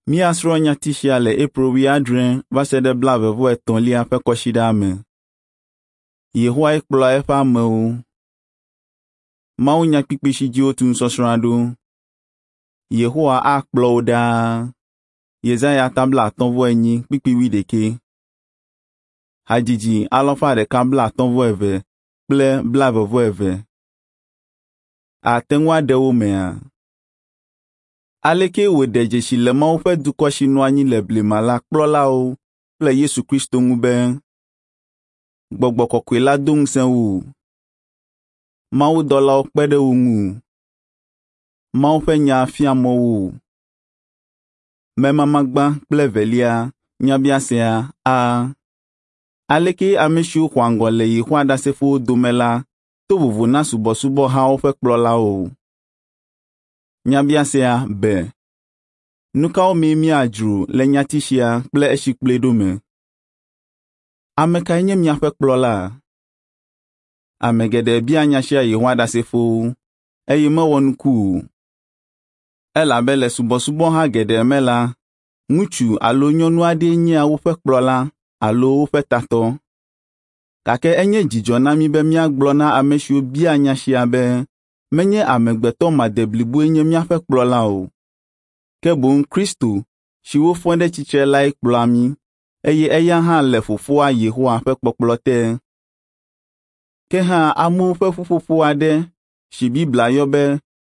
Míasrɔ̃ nyati sia le April 70 va se ɖe 23lia ƒe kɔsiɖa me. Yehowae kplɔa eƒe amewo. Mawunyakpukpui si dzi wotu nusɔsrɔ̃a ɖo. Yehowa akplɔ wò ɖaa. Yesaya ta 54 kpukpui 81. Hadzidzi 152 kple 22. Àte ŋu aɖe wo mea? Aleke wòɖe dzesi le Mawu ƒe dukɔ si nɔ anyi le blema la kplɔlawo kple Yesu Kristo ŋu be gbɔgbɔ kɔkɔe la do ŋusẽ wo, mawudɔlawo kpe ɖe wo ŋu, Mawu ƒe nya fia mɔ wo. Memama gbã kple evelia nyabiasea a. Aleke ame siwo xɔa ŋgɔ le Yehowa Ɖasefowo dome la to vovo na subɔsubɔhawo ƒe kplɔlawo? Nyabiasea be, nu kawo mee míadzro le nyati sia kple esi kplɔe ɖo me? Ame kae nye miaƒe kplɔla? Ame geɖe bia nya sia Yehowa Ɖasefowo eye mewɔ nuku o. Elabe le subɔsubɔha geɖe me la, ŋutsu alo nyɔnu aɖee nyea woƒe kplɔla alo woƒe tatɔ. Gake enye dzidzɔ na mí be míagblɔ na ame siwo bia nya sia be menye amegbetɔ madebliboe nye míaƒe kplɔla o, ke boŋ Kristo si wofɔ ɖe tsitre lae kplɔa mí eye eya hã le Fofoa Yehowa ƒe kpɔkplɔ te. Ke hã amewo ƒe ƒuƒoƒo aɖe si Biblia yɔ be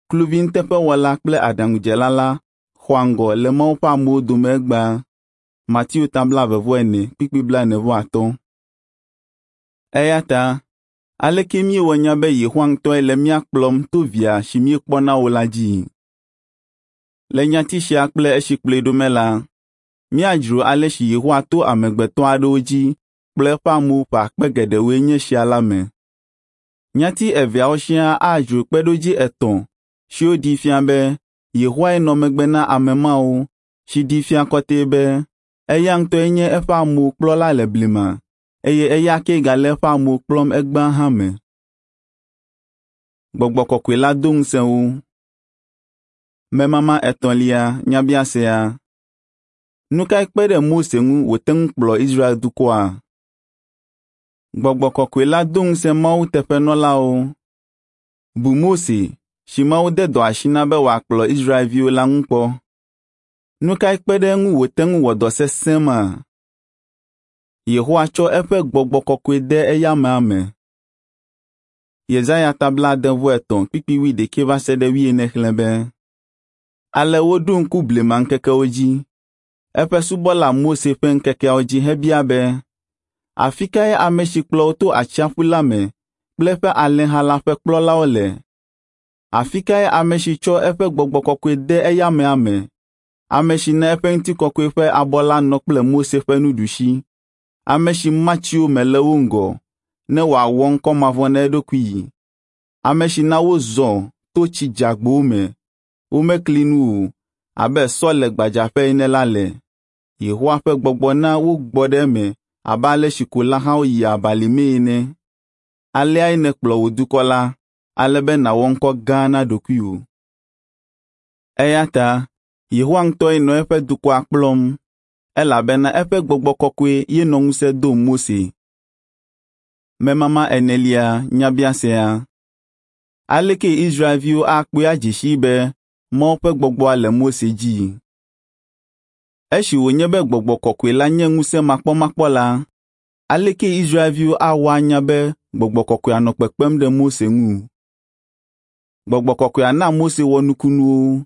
kluvi nuteƒewɔla kple aɖaŋudzela la xɔa ŋgɔ le Mawu ƒe amewo dome egbea. Mateo ta 24 kpukpui 45. Eya ta aleke míewɔ nya be Yehowa ŋutɔe le mía kplɔm to Via si míekpɔna o la dzi? Le nyati sia kple esi kplɔe ɖo me la, míadzro ale si Yehowa to amegbetɔ aɖewo dzi kplɔ eƒe amewo ƒe akpe geɖewoe nye sia la me. Nyati eveawo siaa adzro kpeɖodzi etɔ̃ siwo ɖee fia be Yehowae nɔ megbe na ame mawo si ɖee fia kɔtɛe be eya ŋutɔe nye eƒe amewo kplɔla le blema eye eya kee gale eƒe amewo kplɔm egbea hã me. Gbɔgbɔ kɔkɔe la do ŋusẽ wo. Memama etɔ̃lia nyabiasea. Nu kae kpe ɖe Mose ŋu wòte ŋu kplɔ Israel dukɔa? Gbɔgbɔ kɔkɔe la do ŋusẽ Mawu teƒenɔlawo. Bu Mose si Mawu de dɔ asi na be wòakplɔ Israelviwo la ŋu kpɔ. Nu kae kpe ɖe eŋu wòte ŋu wɔ dɔ sesẽ ma? Yehowa tsɔ eƒe gbɔgbɔ kɔkɔe de eya amea me. Yesaya ta 63 kpukpui 81 va se ɖe 90 xlẽ be, Ale woɖo ŋku blema ŋkekewo dzi, eƒe subɔla Mose ƒe ŋkekeawo dzi hebia be, afi kae ame si kplɔ wo to atsiaƒu la me kple eƒe alẽha la ƒe kplɔlawo le? Afi kae ame si tsɔ eƒe gbɔgbɔ kɔkɔe de eya amea me, ame si na eƒe ŋutikɔkɔe ƒe abɔ la nɔ kple Mose ƒe nuɖusi, ame si ma tsiwo me le wo ŋgɔ ne wòawɔ ŋkɔ mavɔ na eɖokui, ame si na wozɔ to tsi dzeagbowo me, womekli nu o abe sɔ le gbadzaƒe ene la le. Yehowa ƒe gbɔgbɔ na wogbɔ ɖe eme abe ale si ko lãhawo yia abalimee ene. Aleae nèkplɔ wò dukɔ la, ale be nàwɔ ŋkɔ gã na ɖokuiwò. Eya ta Yehowa ŋutɔe nɔ eƒe dukɔa kplɔm elabena eƒe gbɔgbɔ kɔkɔe ye nɔ ŋusẽ dom Mose. Memama enelia nyabiasea. Aleke Israelviwo akpɔe adze sii be Mawu ƒe gbɔgbɔa le Mose dzi? Esi wònye be gbɔgbɔ kɔkɔe la nye ŋusẽ makpɔmakpɔ la, aleke Israelviwo awɔ anya be gbɔgbɔ kɔkɔea nɔ kpekpem ɖe Mose ŋu? Gbɔgbɔ kɔkɔea na Mose wɔ nukunuwo.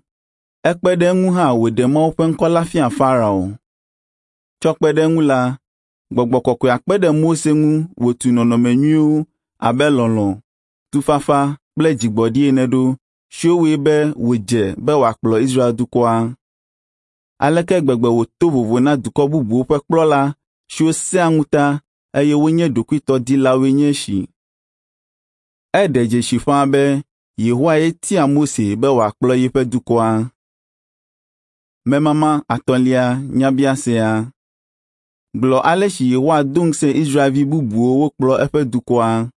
Ekpe ɖe eŋu hã wòɖe Mawu ƒe ŋkɔ la fia Farao. Tsɔ kpe ɖe eŋu la, gbɔgbɔ kɔkɔea kpe ɖe Mose ŋu wòtu nɔnɔme nyuiwo abe lɔlɔ̃, tufafa kple dzigbɔɖi ene ɖo, siwo wɔe be wòdze be wòakplɔ Israel dukɔa. Aleke gbegbe wòto vovo na dukɔ bubuwo ƒe kplɔla siwo sẽa ŋuta eye wonye ɖokuitɔdilawoe nye esi. Eɖe dzesi ƒãa be Yehowa ye tia Mose be wòakplɔ yeƒe dukɔa. Memama atɔ̃lia nyabiasea. Gblɔ ale si Yehowa do ŋusẽ Israelvi bubuwo wokplɔ eƒe dukɔa.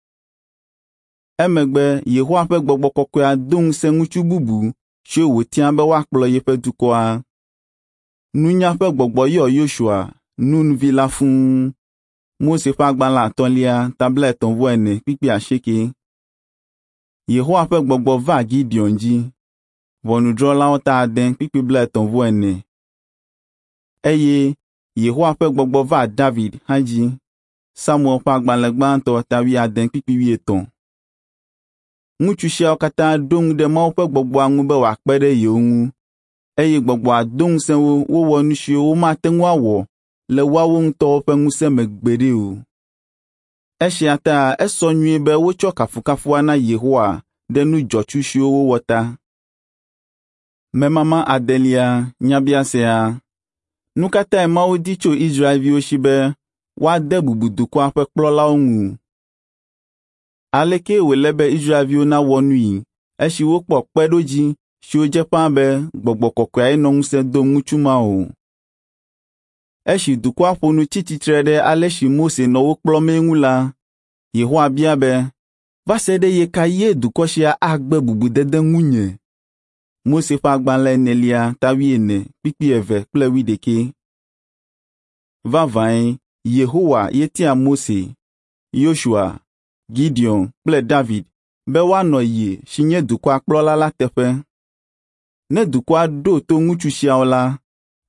Emegbe Yehowa ƒe gbɔgbɔ kɔkɔea do ŋusẽ ŋutsu bubu siwo wòtia be woakplɔ yeƒe dukɔa. Nunya ƒe gbɔgbɔ yɔ Yosua, Nun vi la fũu. Mose ƒe agbalẽ atɔ̃lia ta 34 kpukpui 8. Yehowa ƒe gbɔgbɔ va Gideon dzi. Ʋɔnudrɔ̃lawo ta 6 kpukpui 34. Eye Yehowa ƒe gbɔgbɔ va David hã dzi. Samuel ƒe agbalẽ gbãtɔ ta 70 kpukpui 80. Ŋutsu siawo katã ɖo ŋu ɖe Mawu ƒe gbɔgbɔa ŋu be wòakpe ɖe yewo ŋu, eye gbɔgbɔa do ŋusẽ wo wowɔ nu siwo womate ŋu awɔ le woawo ŋutɔwo ƒe ŋusẽ me gbeɖe o. Esia ta esɔ nyuie be wotsɔ kafukafua na Yehowa ɖe nu dzɔtsu siwo wowɔ ta. Memama adelia nyabiasea. Nu ka tae Mawu di tso Israelviwo si be woade bubu dukɔa ƒe kplɔlawo ŋu? Aleke wòle be Israelviwo nawɔ nui esi wokpɔ kpeɖodzi siwo dze ƒãa be gbɔgbɔ kɔkɔeae nɔ ŋusẽ dom ŋutsu mawo? Esi dukɔa ƒo nu tsi tsitre ɖe ale si Mose nɔ wo kplɔmee ŋu la, Yehowa bia be, “Va se ɖe ɣe ka ɣie dukɔ sia agbe bubudede ŋunye?” Mose ƒe agbalẽ enelia ta 40 kpukpui 2 kple 11. Vavãe, Yehowa ye tia Mose, Yosua, Gideon kple David be woanɔ ye si nye dukɔa kplɔla la teƒe. Ne dukɔa ɖo to ŋutsu siawo la,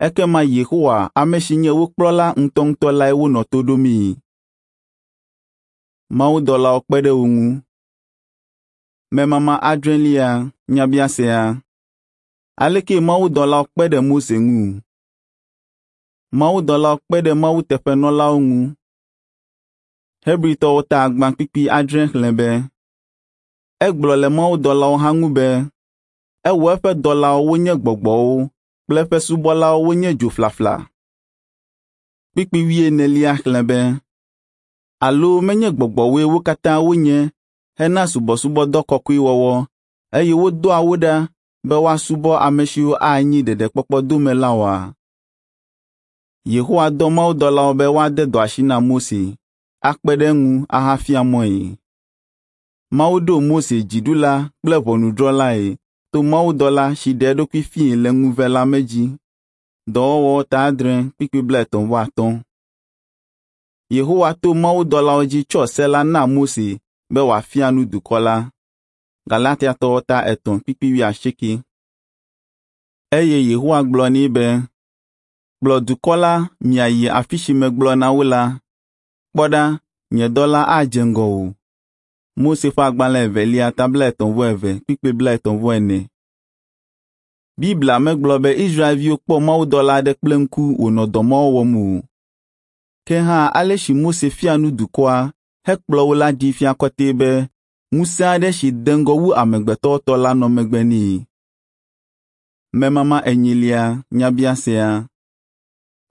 ekema Yehowa, ame si nye wo kplɔla ŋutɔŋutɔ lae wonɔ to ɖomii. Mawudɔlawo kpe ɖe wo ŋu. Memama adrelia nyabiasea. Aleke mawudɔlawo kpe ɖe Mose ŋu? Mawudɔlawo kpe ɖe Mawu teƒenɔlawo ŋu. Hebritɔwo ta gbã kpukpui 6 xlẽ be, egblɔ le mawudɔlawo hã ŋu be, ewɔ eƒe dɔlawo wonye gbɔgbɔwo kple eƒe subɔlawo wonye dzo flafla. Kpukpui 40 xlẽ be, alo menye gbɔgbɔwoe wo katã wonye hena subɔsubɔdɔ kɔkɔe wɔwɔ, eye wodɔa wo ɖa be woasubɔ ame siwo anyi ɖeɖekpɔkpɔ dome la oa? Yehowa dɔ mawudɔlawo be woade dɔ asi na Mose, akpe ɖe eŋu ahafia mɔe. Mawu ɖo Mose dziɖula kple ʋɔnudrɔ̃lae to mawudɔla si ɖe eɖokui fiae le ŋuve la me dzi. Dɔwɔwɔ ta 6 kpukpui 35. Yehowa to mawudɔlawo dzi tsɔ se la na Mose be wòafia nu dukɔ la. Galatiatɔwo ta 3 kpukpui 80. Eye Yehowa gblɔ nɛ be, kplɔ dukɔ la miayi afi si megblɔ na wo la. Kpɔ ɖa, nye dɔla adze ŋgɔwò. Mose ƒe agbalẽ evelia ta 32 kpukpui 34. Biblia megblɔ be Israelviwo kpɔ mawudɔla aɖe kple ŋku wònɔ dɔ mawo wɔm o. Ke hã ale si Mose fia nu dukɔa hekplɔ wo la ɖee fia kɔtɛe be ŋusẽ aɖe si de ŋgɔ wu amegbetɔwo tɔ la nɔ megbe nɛ. Memama enyilia nyabiasea.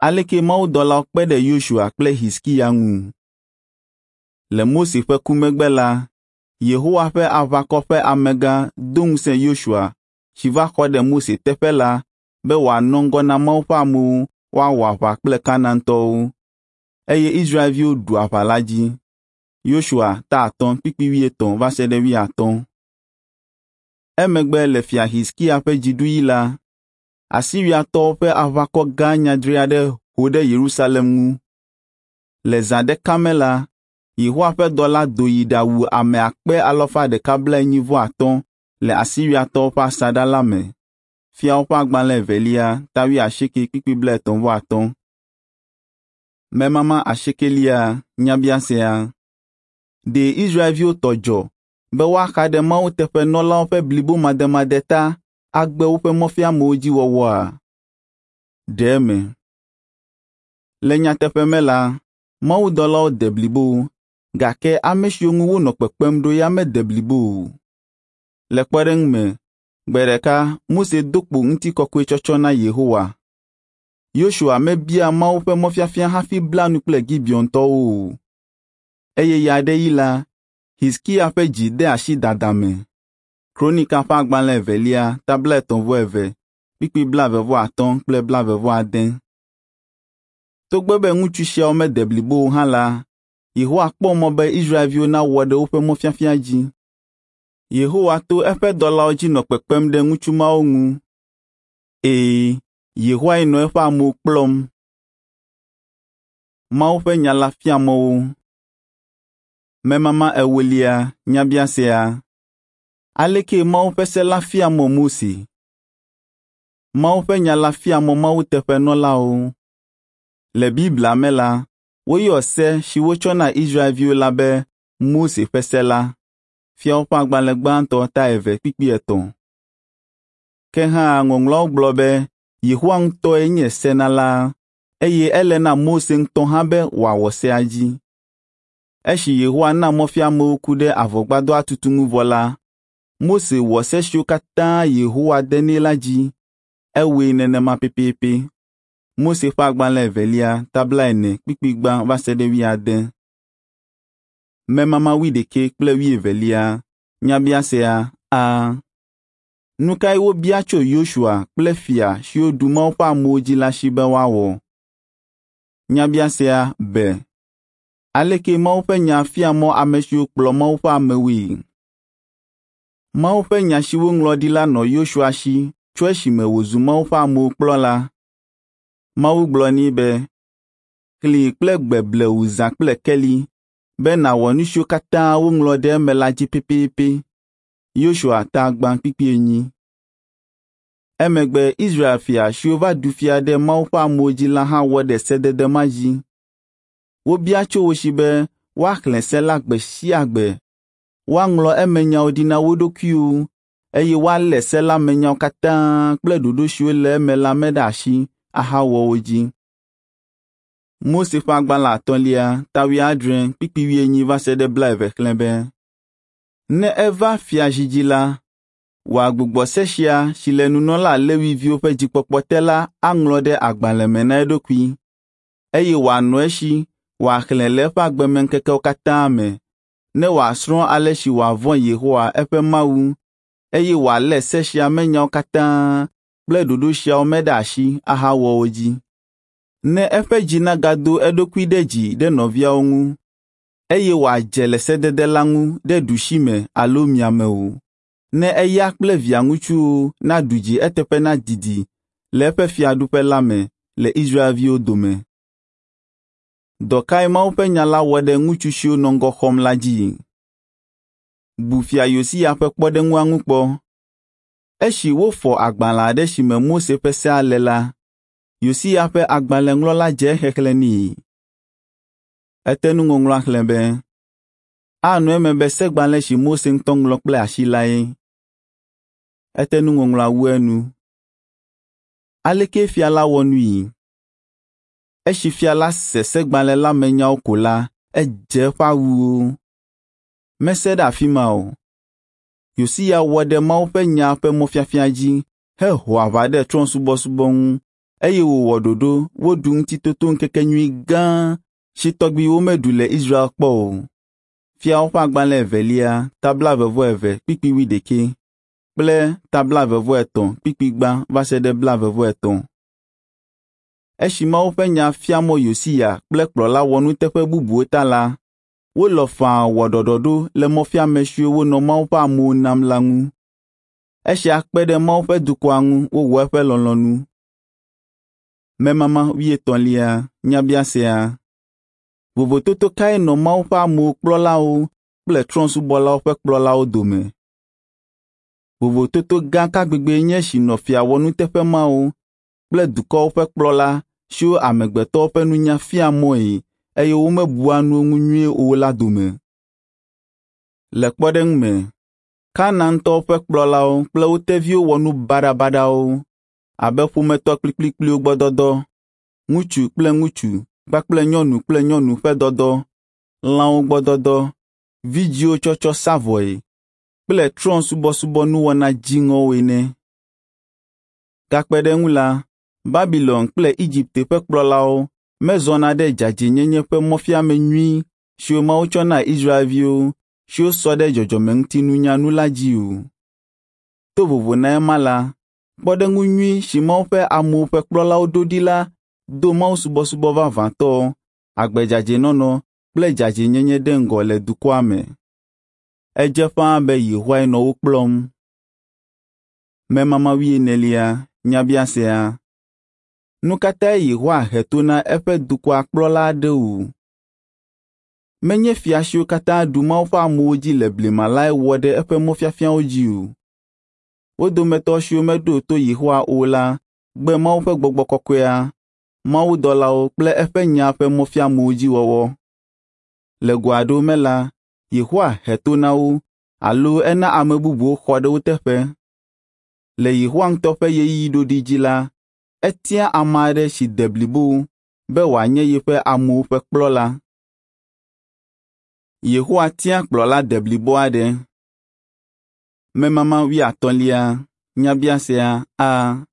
Aleke mawudɔlawo kpe ɖe Yosua kple Hizkiya ŋu? Le Mose ƒe ku megbe la, Yehowa ƒe aʋakɔ ƒe amegã do ŋusẽ Yosua si va xɔ ɖe Mose teƒe la be wòanɔ ŋgɔ na Mawu ƒe amewo woawɔ aʋa kple Kanaantɔwo. Eye Israelviwo ɖu aʋa la dzi. Yosua ta 5 kpukpui 80 va se ɖe 80. Emegbe le fia Hizkiya ƒe dziɖuɣi la, Asiriatɔwo ƒe aʋakɔ gã nyadri aɖe ho ɖe Yerusalem ŋu. Le zã ɖeka me la, Yehowa ƒe dɔla do yi ɖawu ame 145,000 le Asiriatɔwo ƒe asaɖa la me. Fiawo ƒe agbalẽ evelia ta 80 kpukpui 35. Memama asiekelia nyabiasea. Ɖe Israelviwo tɔ dzɔ be woaxa ɖe Mawu teƒenɔlawo ƒe blibomademade ta agbe woƒe mɔfiamewo dzi wɔwɔa? Ɖe eme. Le nyateƒe me la, mawudɔlawo de blibo, gake ame siwo ŋu wonɔ kpekpem ɖo ya mede blibo o. Le kpɔɖeŋu me, gbe ɖeka Mose do kpo ŋutikɔkɔe tsɔtsɔ na Yehowa. Yosua mebia Mawu ƒe mɔfiafia hafi bla nu kple Gibeontɔwo o. Eye ɣeaɖeɣi la, Hizkiya ƒe dzi de asi dada me. Kronika ƒe agbalẽ evelia ta 32 kpukpui 25 kple 26. Togbɔ be ŋutsu siawo mede blibo o hã la, Yehowa kpɔ mɔ be Israelviwo nawɔ ɖe woƒe mɔfiafia dzi. Yehowa to eƒe dɔlawo dzi nɔ kpekpem ɖe ŋutsu mawo ŋu. Ɛ̃, Yehowae nɔ eƒe amewo kplɔm. Mawu ƒe nya la fia mɔ wo. Memama ewolia nyabiasea. Aleke Mawu ƒe se la fia mɔ Mose? Mawu ƒe nya la fia mɔ Mawu teƒenɔlawo. Le Biblia me la, woyɔ se si wotsɔ na Israelviwo la be Mose ƒe se la. Fiawo ƒe agbalẽ gbãtɔ ta 2:3. Ke hã Ŋɔŋlɔawo gblɔ be Yehowa ŋutɔe nye senala eye ele na Mose ŋutɔ hã be wòawɔ sea dzi. Esi Yehowa na mɔfiamewo ku ɖe avɔgbadɔa tutu ŋu vɔ la, Mose wɔ se siwo katã Yehowa de nɛ la dzi. Ewɔe nenema pɛpɛpɛ. Mose ƒe agbalẽ evelia ta 40:1 va se ɖe 70. Memama 21 kple 22 nyabiasea a. Nu kae wobia tso Yosua kple fia siwo ɖu Mawu ƒe amewo dzi la si be woawɔ? Nyabiasea be, aleke Mawu ƒe nya fia mɔ ame siwo kplɔ Mawu ƒe amewoe? Mawu ƒe nya si woŋlɔ ɖi la nɔ Yosua si tso esime wòzu Mawu ƒe amewo kplɔla. Mawu gblɔ nɛ be, xlẽe kple gbe blewu zã kple keli be nàwɔ nu siwo katã woŋlɔ ɖe eme la dzi pɛpɛpɛ. Yosua ta 5:4. Emegbe Israel fia siwo va ɖu fia ɖe Mawu ƒe amewo dzi la hã wɔ ɖe sedede ma dzi. Wobia tso wo si be woaxlẽ se la gbe sia gbe, woaŋlɔ emenyawo ɖi na wo ɖokuiwo eye woalé se la me nyawo katã kple ɖoɖo siwo le eme la me ɖe asi ahawɔ wo dzi. Mose ƒe agbalẽ atɔ̃lia ta 70:80 va se ɖe 20 xlẽ be, ne eva fiazi dzi la, wòagbugbɔ se sia si le nunɔla Lewi viwo ƒe dzikpɔkpɔ te la aŋlɔ ɖe agbalẽ me na eɖokui, eye wòanɔ esi wòaxlẽ le eƒe agbemeŋkekewo katã me, ne wòasrɔ̃ ale si wòavɔ̃ Yehowa eƒe Mawu, eye wòalé se sia me nyawo katã kple ɖoɖo siawo me ɖe asi ahawɔ wo dzi. Ne eƒe dzi nagado eɖokui ɖe dzi ɖe nɔviawo ŋu, eye wòadze le sedede la ŋu ɖe ɖusime alo miame o, ne eya kple via ŋutsuwo naɖu dzi eteƒe nadidi le eƒe fiaɖuƒe la me le Israelviwo dome. Dɔ kae Mawu ƒe nya la wɔ ɖe ŋutsu siwo nɔ ŋgɔ xɔm la dzi? Bu fia Yosia ƒe kpɔɖeŋua ŋu kpɔ. Esi wofɔ agbalẽ aɖe si me Mose ƒe sea le la, Yosia ƒe agbalẽŋlɔla dze exexlẽ nɛ. Ete nuŋɔŋlɔa xlẽ be, anɔ eme be segbalẽ si Mose ŋutɔ ŋlɔ kple asi lae. Ete nuŋɔŋlɔa wu enu. Aleke fia la wɔ nui? Esi fia la se segbalẽ la me nyawo ko la, edze eƒe awuwo. Mese ɖe afi ma o. Yosia wɔ ɖe Mawu ƒe nya ƒe mɔfiafia dzi heho aʋa ɖe trɔ̃subɔsubɔ ŋu eye wòwɔ ɖoɖo woɖu ŋutitotoŋkekenyui gã si tɔgbi womeɖu le Israel kpɔ o. Fiawo ƒe agbalẽ evelia ta 22:21 kple ta 23:1 va se ɖe 23. Esi Mawu ƒe nya fia mɔ Yosia kple kplɔla wɔnuteƒe bubuwo ta la, wolɔ̃ faa wɔ ɖɔɖɔɖo le mɔfiame siwo wonɔ Mawu ƒe amewo nam la ŋu. Esia kpe ɖe Mawu ƒe dukɔa ŋu wowɔ eƒe lɔlɔ̃nu. Memama 33 nyabiasea. Vovototo kae nɔ Mawu ƒe amewo kplɔlawo kple trɔ̃subɔlawo ƒe kplɔlawo dome? Vovototo gã ka gbegbee nye esi nɔ fia wɔnuteƒe mawo kple dukɔwo ƒe kplɔla siwo amegbetɔwo ƒe nunya fia mɔe eye womebua nuwo ŋu nyuie o la dome. Le kpɔɖeŋu me, Kanaantɔwo ƒe kplɔlawo kple wo teviwo wɔ nu baɖabaɖawo abe ƒometɔ kplikplikpliwo gbɔdɔdɔ, ŋutsu kple ŋutsu kpakple nyɔnu kple nyɔnu ƒe dɔdɔ, lãwo gbɔdɔdɔ, vidzĩwo tsɔtsɔ sa vɔe kple trɔ̃subɔsubɔ nuwɔna dziŋɔwo ene. Gakpe ɖe eŋu la, Babilon kple Egipte ƒe kplɔlawo mezɔna ɖe dzadzɛnyenye ƒe mɔfiame nyui siwo Mawu tsɔ na Israelviwo siwo sɔ ɖe dzɔdzɔmeŋutinunya nu la dzi o. To vovo na ema la, kpɔɖeŋu nyui si Mawu ƒe amewo ƒe kplɔlawo ɖo ɖi la do mawusubɔsubɔ vavãtɔ, agbe dzadzɛnɔnɔ kple dzadzɛnyenye ɖe ŋgɔ le dukɔa me. Edze ƒãa be Yehowae nɔ wo kplɔm. Memama 24 nyabiasea. Nu ka tae Yehowa he to na eƒe dukɔa kplɔla aɖewo? Menye fia siwo katã ɖu Mawu ƒe amewo dzi le blema lae wɔ ɖe eƒe mɔfiafiawo dzi o. Wo dometɔ siwo meɖo to Yehowa o la gbe Mawu ƒe gbɔgbɔ kɔkɔea, mawudɔlawo kple eƒe nya ƒe mɔfiamewo dzi wɔwɔ. Le go aɖewo me la, Yehowa he to na wo alo ena ame bubuwo xɔ ɖe wo teƒe. Le Yehowa ŋutɔ ƒe ɣeyiɣi ɖoɖi dzi la, etia ame aɖe si de blibo be wòanye yeƒe amewo ƒe kplɔla. Yehowa tia kplɔla deblibo aɖe. Memama wuiatɔ̃lia, nyabiasea a.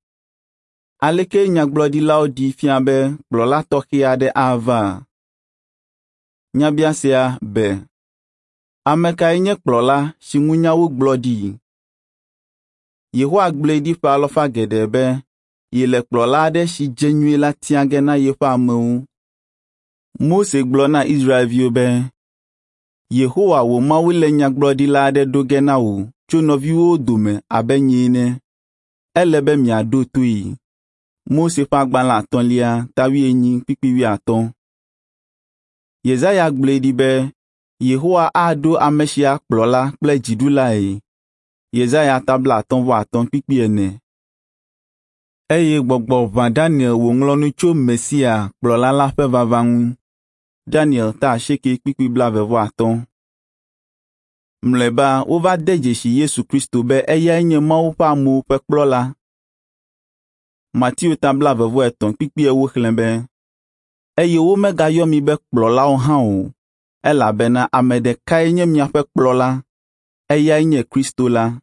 Aleke nyagblɔɖilawo ɖee fia be kplɔla tɔxɛ aɖe ava? Nyabiasea be, ame kae nye kplɔla si ŋu nya wogblɔ ɖi? Yehowa gblɔe ɖi ƒe alafa geɖe be yele kplɔla aɖe si dze nyuie la tia ge na yeƒe amewo. Mose gblɔ na Israelviwo be, Yehowa wò Mawu le nyagblɔɖila aɖe ɖo ge na wò tso nɔviwòwo dome abe nye ene. Ele be miaɖo toe. Mose ƒe agbalẽ atɔ̃lia ta wuienyi kpukpui wuiatɔ̃. Yesaya gblɔe ɖi be Yehowa aɖo ame sia kplɔla kple dziɖulae. Yesaya ta 55 kpukpui ene. Eye gbɔgbɔ ʋã Daniel wòŋlɔ nu tso Mesia kplɔla la ƒe vava ŋu. Daniel ta asieke kpukpui blaeve-vɔ-atɔ̃. Mlɔeba wova de dzesi Yesu Kristo be eyae nye Mawu ƒe amewo ƒe kplɔla. Mateo ta blaeve-vɔ-etɔ̃ kpukpui ewo xlẽ be, eye womegayɔ mi be kplɔlawo hã o, elabena ame ɖekae nye miaƒe kplɔla, eyae nye Kristo la.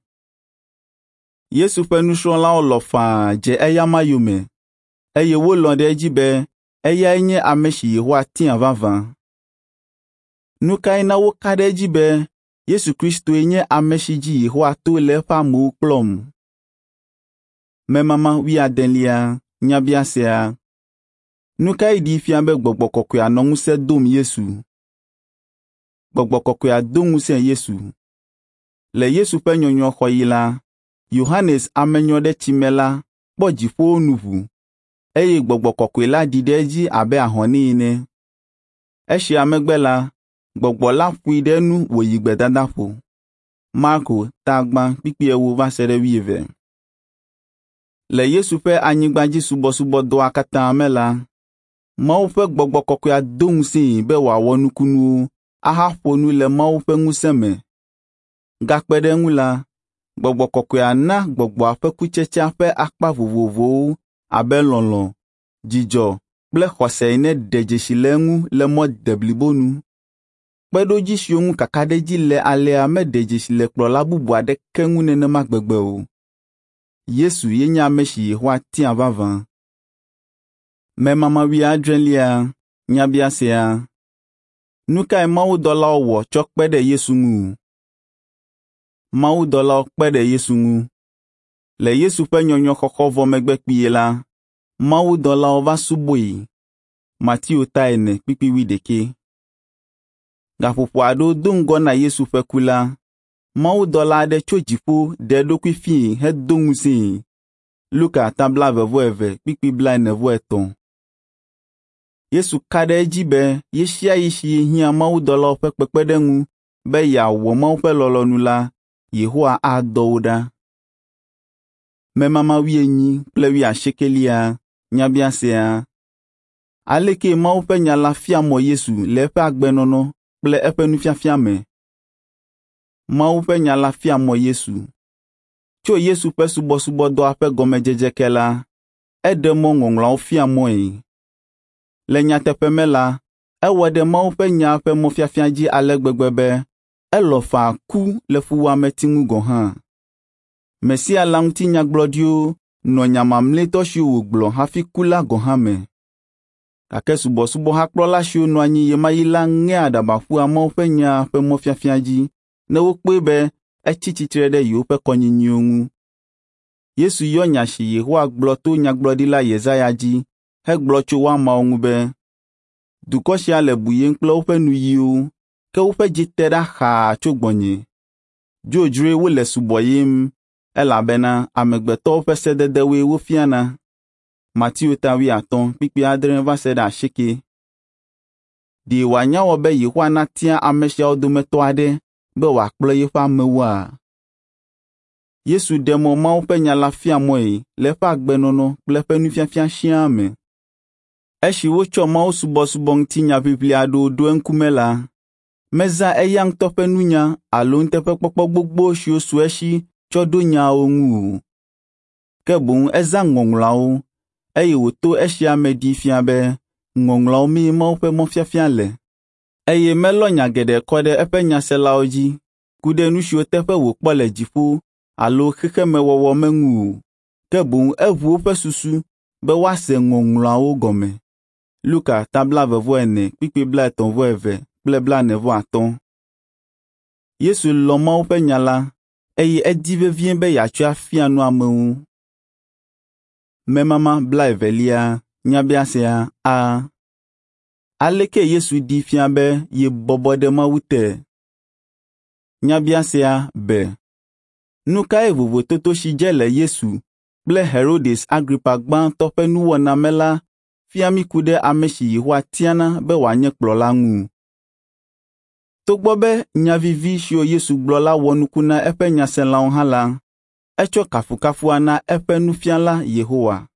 Yesu ƒe nusrɔ̃lawo lɔ̃ faa dze eyama yome, eye wolɔ̃ ɖe edzi be eyae nye ame si Yehowa tia vavã. Nu kae na woka ɖe edzi be Yesu Kristoe nye ame si dzi Yehowa to le eƒe amewo kplɔm? Memama wuiadelia, nyabiasea. Nu kae ɖee fia be gbɔgbɔ kɔkɔea nɔ ŋusẽ dom Yesu? Gbɔgbɔ kɔkɔea do ŋusẽ Yesu. Le Yesu ƒe nyɔnyrɔxɔɣi la, Yohanes amenyrɔɖetsimela kpɔ dziƒowo nu ʋu, eye gbɔgbɔ kɔkɔe la ɖi ɖe edzi abe ahɔnɛ ene. Esia megbe la, gbɔgbɔ la ƒoe ɖe enu wòyi gbedadaƒo. Marko ta gbã kpukpui ewo va se ɖe wuieve. Le Yesu ƒe anyigbadzisubɔsubɔdɔa katã me la, Mawu ƒe gbɔgbɔ kɔkɔea do ŋusẽe be wòawɔ nukunuwo ahaƒo nu le Mawu ƒe ŋusẽ me. Gakpe ɖe eŋu la, gbɔgbɔ kɔkɔea na gbɔgbɔa ƒe kutsetsea ƒe akpa vovovowo abe lɔlɔ̃, dzidzɔ kple xɔse ene ɖe dzesi le eŋu le mɔ deblibo nu. Kpeɖodzi siwo ŋu kakaɖedzi le alea meɖe dzesi le kplɔla bubu aɖeke ŋu nenema gbegbe o. Yesu ye nye ame si Yehowa tia vavã. Memama wuiadrelia, nyabiasea. Nu kae mawudɔlawo wɔ tsɔ kpe ɖe Yesu ŋu? Mawudɔlawo kpe ɖe Yesu ŋu. Le Yesu ƒe nyɔnyrɔxɔxɔ vɔ megbe kpuie la, mawudɔlawo va subɔe. Mateo ta ene kpukpui wuiɖekɛ. Gaƒoƒo aɖewo do ŋgɔ na Yesu ƒe ku la, mawudɔla aɖe tso dziƒo ɖe eɖokui fiae hedo ŋusẽe. Luka ta blaeve-vɔ-eve kpukpui blaene-vɔ-etɔ̃. Yesu ka ɖe edzi be ɣesiaɣi si yehiã mawudɔlawo ƒe kpekpeɖeŋu be yeawɔ Mawu ƒe lɔlɔ̃nu la, Yehowa adɔ wo ɖa. Memama wuienyi kple wuiasiekelia, nyabiasea. Aleke Mawu ƒe nya la fia mɔ Yesu le eƒe agbenɔnɔ kple eƒe nufiafia me? Mawu ƒe nya la fia mɔ Yesu. Tso Yesu ƒe subɔsubɔdɔa ƒe gɔmedzedze ke la, eɖe mɔ Ŋɔŋlɔawo fia mɔe. Le nyateƒe me la, ewɔ ɖe Mawu ƒe nya ƒe mɔfiafia dzi ale gbegbe be elɔ̃ faa ku le fuwɔameti ŋu gɔ̃ hã. Mesia la ŋuti nyagblɔɖiwo nɔ nya mamlɛtɔ siwo wògblɔ hafi ku la gɔ̃ hã me. Gake subɔsubɔhakplɔla siwo nɔ anyi ɣemaɣi la ŋea aɖaba ƒua Mawu ƒe nya ƒe mɔfiafia dzi ne wokpɔe be etsi tsitre ɖe yewoƒe kɔnyinyiwo ŋu. Yesu yɔ nya si Yehowa gblɔ to nyagblɔɖila Yesaya dzi hegblɔ tso woamawo ŋu be, Dukɔ sia le buyem kple woƒe nuyiwo, ke woƒe dzi te ɖa xaa tso gbɔnye. Dzodzroe wole subɔyem, elabena amegbetɔwo ƒe sededewoe wofiana. Mateo ta 50 kpukpui 6 va se ɖe 8. Ɖe wòanya wɔ be Yehowa natia ame siawo dometɔ aɖe be wòakplɔ yeƒe amewoa? Yesu ɖe mɔ Mawu ƒe nya la fia mɔe le eƒe agbenɔnɔ kple eƒe nufiafia siaa me. Esi wotsɔ mawusubɔsubɔ ŋuti nyaʋiʋli aɖewo ɖo eŋkume la, mezã eya ŋutɔ ƒe nunya alo nuteƒekpɔkpɔ gbogbo siwo su esi tsɔ ɖo nyaawo ŋu o. Ke boŋ ezã Ŋɔŋlɔawo, eye wòto esia me ɖee fia be Ŋɔŋlɔawo mee Mawu ƒe mɔfiafia le. Eye melɔ nya geɖe kɔ ɖe eƒe nyaselawo dzi ku ɖe nu siwo teƒe wòkpɔ le dziƒo alo xexemewɔwɔ me ŋu o, ke boŋ eʋu woƒe susu be woase Ŋɔŋlɔawo gɔme. Luka ta 24 kpukpui 32 kple 45. Yesu lɔ̃ Mawu ƒe nya la eye edi vevie be yeatsɔe afia nu amewo. Memama 21 nyabiasea a. Aleke Yesu ɖee fia be yebɔbɔ ɖe Mawu te? Nyabiasea b. Nu kae vovototo si dze le Yesu kple Herodes Agripa gbãtɔ ƒe nuwɔna me la fia mí ku ɖe ame si Yehowa tiana be wòanye kplɔla ŋu? Togbɔ be nya vivi siwo Yesu gblɔ la wɔ nuku na eƒe nyaselawo hã la, etsɔ kafukafua na eƒe nufiala Yehowa.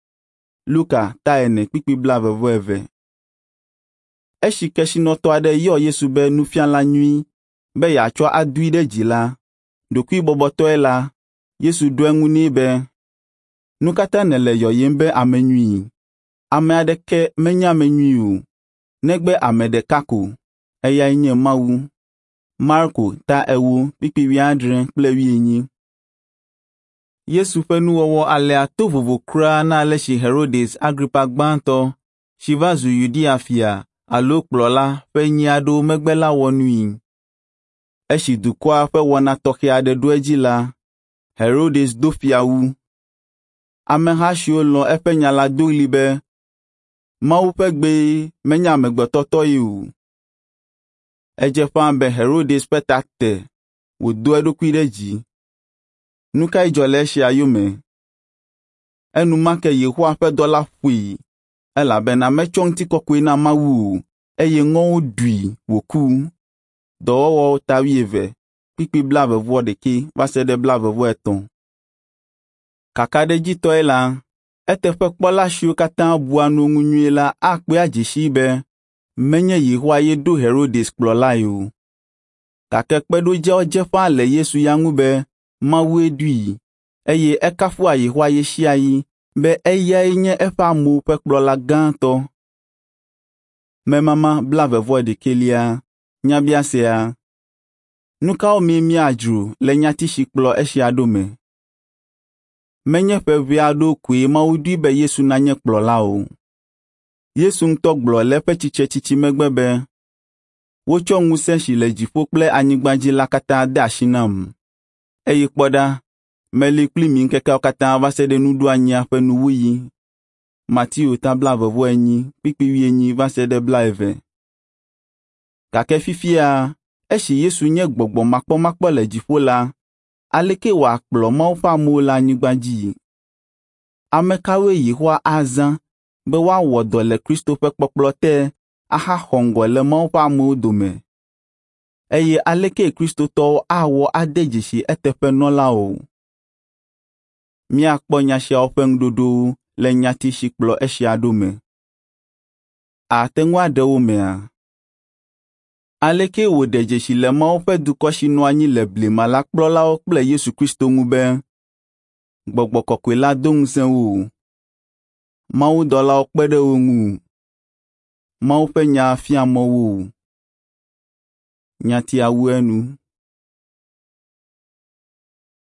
Luka ta 4 kpukpui 22. Esi kesinɔtɔ aɖe yɔ Yesu be nufiala nyui be yeatsɔ adoe ɖe dzi la, ɖokuibɔbɔtɔe la, Yesu ɖo eŋu nɛ be, “Nu ka ta nèle yɔyem be ame nyui? Ame aɖeke menye ame nyui o, negbe ame ɖeka ko, eyae nye Mawu.” Marko ta 4 kpukpui 70 kple 80. Yesu ƒe nuwɔwɔ alea to vovo kura na ale si Herodes Agripa gbãtɔ si va zu Yudea fia alo kplɔla ƒe enyi aɖewo megbe la wɔ nui. Esi dukɔa ƒe wɔna tɔxɛ aɖe ɖo edzi la, Herodes do fiawu. Ameha siwo lɔ̃ eƒe nya la do ɣli be, “Mawu ƒe gbee menye amegbetɔ tɔ ye o.” Edze ƒãa be Herodes ƒe ta te wòdo eɖokui ɖe dzi. Nu kae dzɔ le esia yome? Enumake Yehowa ƒe dɔla ƒoe elabena metsɔ ŋutikɔkɔe na Mawu o eye ŋɔwo ɖui wòku. Dɔwɔwɔwo ta 20 kpukpui 21 va se ɖe 23. Kakaɖedzitɔe la, eteƒekpɔla siwo katã bua nu ŋu nyuie la akpɔe adze sii be menye Yehowa ye ɖo Herodes kplɔlae o. Gake kpeɖodziawo dze ƒãa le Yesu ya ŋu be Mawue ɖoe, eye ekafua Yehowa ɣesiaɣi be eyae nye eƒe amewo ƒe kplɔla gãtɔ. Memama 21 nyabiasea. Nu kawo mee míadzro le nyati si kplɔ esia ɖo me? Menye ƒe ʋɛ aɖewo koe Mawu ɖoe be Yesu nanye kplɔla o. Yesu ŋutɔ gblɔ le eƒe tsitretsitsi megbe be, “Wotsɔ ŋusẽ si le dziƒo kple anyigba dzi la katã de asi nam. Eye kpɔ ɖa, meli kpli mi ŋkekeawo katã va se ɖe nuɖoanyia ƒe nuwuɣi.” Mateo ta 24 kpukpui 40 va se ɖe 20. Gake fifia, esi Yesu nye gbɔgbɔ makpɔmakpɔ le dziƒo la, aleke wòakplɔ Mawu ƒe amewo le anyigba dzi? Ame kawoe Yehowa azã be woawɔ dɔ le Kristo ƒe kpɔkplɔ te ahaxɔ ŋgɔ le Mawu ƒe amewo dome? Eye aleke Kristotɔwo awɔ ade dzesi eteƒenɔlawo? Míakpɔ nya siawo ƒe ŋuɖoɖowo le nyati si kplɔ esia ɖo me. Àte ŋu aɖe wo mea? Aleke wòɖe dzesi le Mawu ƒe dukɔ si nɔ anyi le blema la kplɔlawo kple Yesu Kristo ŋu be Gbɔgbɔ Kɔkɔe la do ŋusẽ wo, mawudɔlawo kpe ɖe wo ŋu, Mawu ƒe nya fia mɔ wo. Nyatia wu enu.